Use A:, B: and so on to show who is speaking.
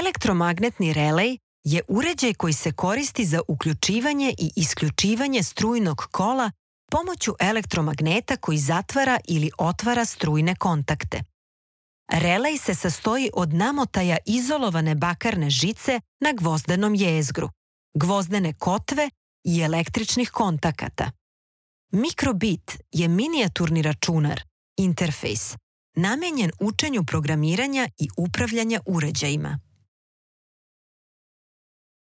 A: Elektromagnetni relej je uređaj koji se koristi za uključivanje i isključivanje strujnog kola pomoću elektromagneta koji zatvara ili otvara strujne kontakte. Relej se sastoji od namotaja izolovane bakarne žice na gvozdenom jezgru, gvozdene kotve i električnih kontakata. Mikrobit je minijaturni računar, interfejs, namenjen učenju programiranja i upravljanja uređajima.